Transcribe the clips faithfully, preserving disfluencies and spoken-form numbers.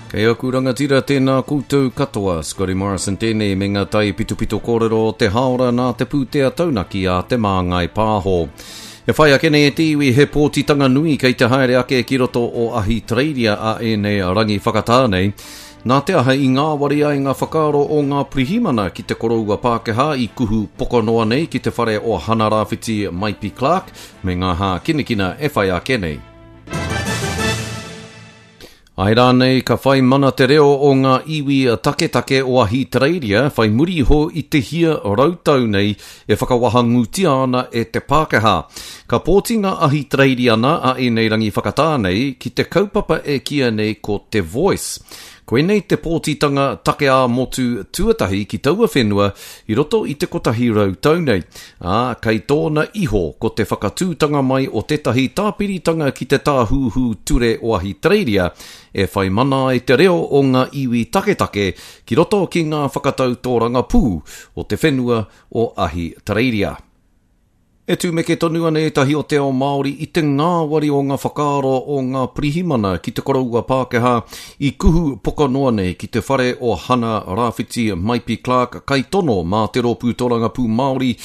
Kei aku rangatira tēnā koutou katoa, Scotty Morrison tēnei me ngā tai pitopito kōrero o te haora nā te pūtea taunaki a Te Māngai Pāho. E whai ake nei e te iwi he pōtitanga nui kei te haere ake ki roto o Ahitereiria a ēnei rangi whakatā nei. Nā te aha i ngāwari ai ngā whakaaro o ngā pirihimana ki te koroua Pākehā i kuhu pokanoa nei ki te whare o Hana Rāwhiti Maipi Clark me ngā hākinakina e whai ake nei. Ai rānei ka whai mana te reo o ngā iwi taketake o Ahitereiria whai muri iho i te hia rautau nei e whakawahangūtia ana e te Pākehā. Ka pōti ngā Ahitereiriana a ēnei rangi whakatā nei ki te kaupapa e kīia nei ko te Voice. Koinei te pōtitanga take ā-motu tuatahi ki taua whenua i roto i te kotahi rau tau nei, ā, kei tōna iho ko te whakatūtanga mai o tētahi tāpiritanga ki te tāhuhu ture o Ahitereiria e whai mana ai te reo o ngā iwi taketake ki roto ki ngā whakatau tōrangapū o te whenua o Ahitereiria. E tūmeke tonu ana ētahi o te ao Māori i te ngāwari o ngā whakaaro o ngā pirihimana ki te koroua Pākehā i kuhu pokanoa nei ki te whare o Hana Rāwhiti Maipi Clark kaitono mā te rōpū tōrangapū Māori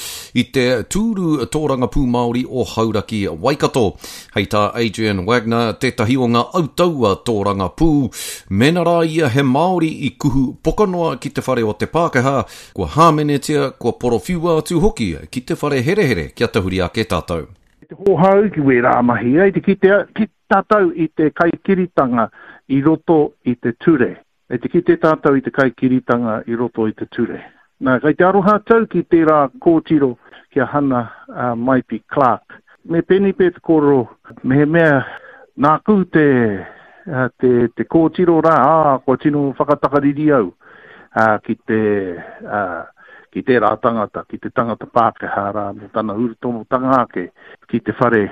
i te tūru tōrangapū Māori o Hauraki Waikato. Hei tā Adrian Wagner, tētahi o ngā autaua tōrangapū, mēnā rā ia he Māori i kuhu pokanoa ki te whare o te Pākehā, kua hāmenetia, kua porowhiua atu hoki ki te whare herehere kia tahuri ake tātou. Te hōhau ki wērā mahi, ai te kitea ki tātou i te kaikiritanga i roto i te ture. E te kite tātou i te kaikiritanga i roto i te ture. Nā, kei te aroha tau ki tērā kōtiro ki a Hana uh, Maipi Clark. Me pēnei pea te kōrero, mehemea nāku te, uh, te, te kōtiro rā, ā, kua tino whakatakariri au uh, ki te, uh, ki tērā tangata, ki te tangata Pākehā rā, mō tana urutomotanga ake ki te whare.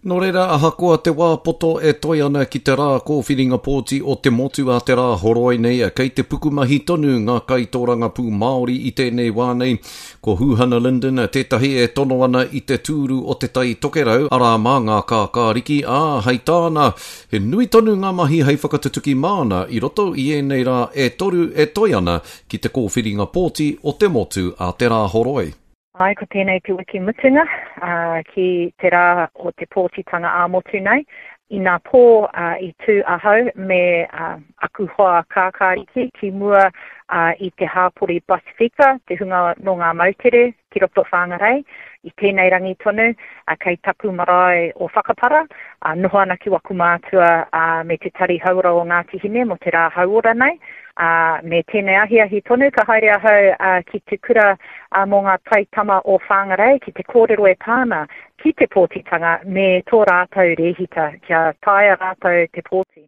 Nō reira, ahakoa te wā poto e toe ana ki te rā kōwhiringa pōti o te motu a te rā horoi nei, kei te pukumahi tonu ngā kaitōrangapū Māori i tēnei wā nei. Ko Huhana Lyndon tētahi e tono ana i te tūru o te Tai Tokerau, arā mā ngā kākāriki, ā, hei tāna, he nui tonu ngā mahi hei whakatutuki māna i roto i ēnei rā e toru e toe ana ki te kōwhiringa pōti o te motu a te rā horoi. Ai, ko tēnei te wiki mutunga uh, ki te rā o te pōtitanga ā-motu nei. Inā pō uh, i tū ahau me uh, aku hoa kākāriki ki mua uh, i te hāpori Pasifika, te hunga nō ngā moutere ki roto Whangarei. I tēnei rangi tonu, uh, kei taku marae o Whakapara, uh, noho ana ki waku mātua uh, me te tari hauora o Ngāti Hine mō te rā hauora nei. Uh, me tēnei ahiahi tonu ka haere ahau uh, ki te kura uh, mō ngā taitama o Whangarei ki te kōrero e pāna ki te pōtitanga me tō rātou rēhita kia taea rātou te pōti.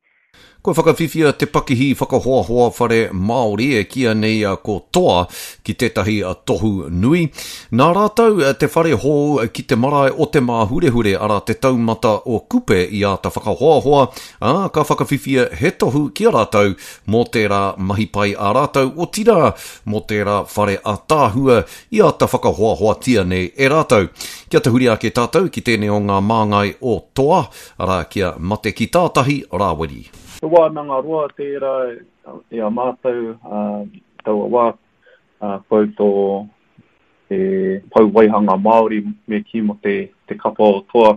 Kua whakawhiwhia te pakihi whakahoahoa whare Māori e kīia nei ko Toa ki tētahi tohu nui. Nā rātou te whare hou ki te marae o Te Māhurehure, arā te taumata o Kupe i āta whakahoahoa, ā, ka whakawhiwhia he tohu ki a rātou mō tērā mahi pai a rātou, otirā mō tērā whare ātaahua i āta whakahoahoatia nei e rātou. Kia tahuri ake tātou ki tēnei o ngā māngai o Toa, arā ki a Mate ki Tātahi Rāwiri. He wānanga roa tērā i a mātou taua wā, kau tō te pou waihanga Māori me kī mō te, te kapa o Toa,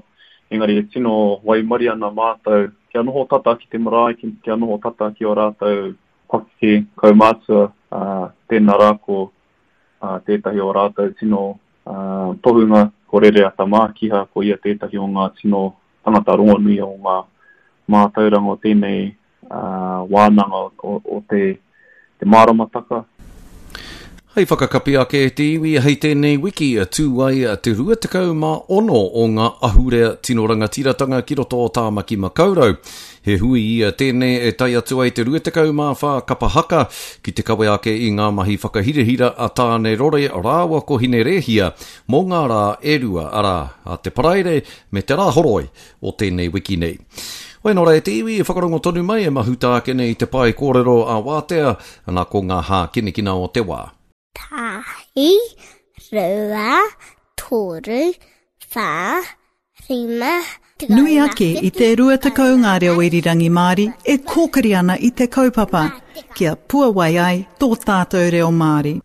engari e tino waimari ana mātou kia noho tata ki te marae, kia noho tata ki o rātou pakeke kaumātua, tēnā rā ko tētahi o rātou tino tohunga, ko Rereata Mākiha, ko ia tētahi o ngā tino tangata rongonui o ngā mātauranga o tēnei uh, wānanga o, o te, te māramataka. Hei whakakapi ake e te iwi hei tēnei wiki tū ai te rua tekau mā ono o ngā ahurea tino rangatiratanga ki roto o Tāmaki Makaurau. He hui ia tēnei e tae atu ai te rua tekau mā whā kapa haka ki te kawe ake i ngā mahi whakahirahira a Tāne Rore rāua ko Hinerēhia mō ngā rā e rua, arā, a te Paraire me te Rāhoroi o tēnei wiki nei. Hoi nō rā e te iwi, e whakarongo tonu mai e mahuta ake nei te pae kōrero a Wātea, ana ko ngā hākinakina o te wā. Tahi, rua, toru, whā, Rima, Nui ake i te rua tekau ngā reo irirangi Māori e kōkiri ana i te kaupapa, kia puawai ai tō tātou reo Māori.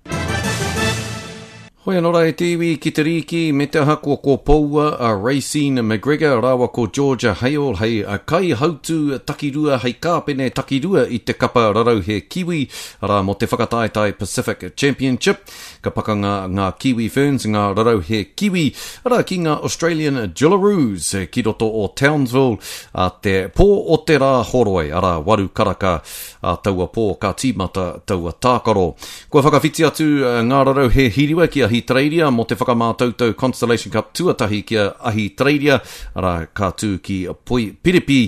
Hoi anō rā e te iwi ki te rīki me te aha kua kōpoua a Raecene McGregor rāua ko Georgia Hale hei kaihautū takirua hei kāpene takirua i te kapa rarauhe Kiwi, arā mō te whakataetae Pacific Championship. Ka pakanga ngā Kiwi Ferns, ngā rarauhe Kiwi, arā ki ngā Australian Jillaroos ki roto o Townsville a te pō o te rā horoi, arā waru karaka a taua pō ka tīmata taua tākaro. Kua whakawhiti atu ngā rarauhe hiriwa ki Ahitereiria mō te whakamātautau Constellation Cup tuatahi ki a Ahitereiria, arā ka tū ki Poipiripi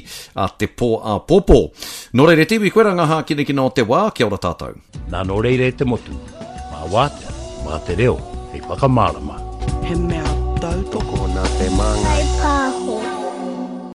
a te pō āpōpō. Nō reira te iwi, koirā ngā hākinakina o te wā, kia ora tātou. Nā nō reira e te motu, mā wātea, mā te reo, hei whakamārama. He mea tautoko nā te māngai. Pāho.